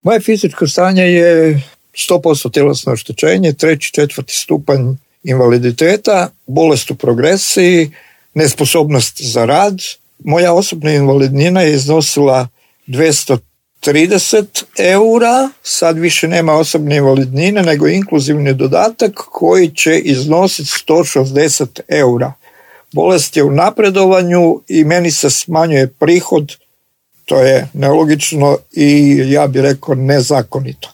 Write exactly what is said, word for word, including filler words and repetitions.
Moje fizičko stanje je sto posto tjelesno oštećenje, treći, četvrti stupanj invaliditeta, bolest u progresiji, nesposobnost za rad. Moja osobna invalidnina je iznosila dvjesto trideset eura, sad više nema osobne invalidnine nego inkluzivni dodatak koji će iznositi sto šezdeset eura. Bolest je u napredovanju i meni se smanjuje prihod, to je nelogično i ja bih rekao nezakonito.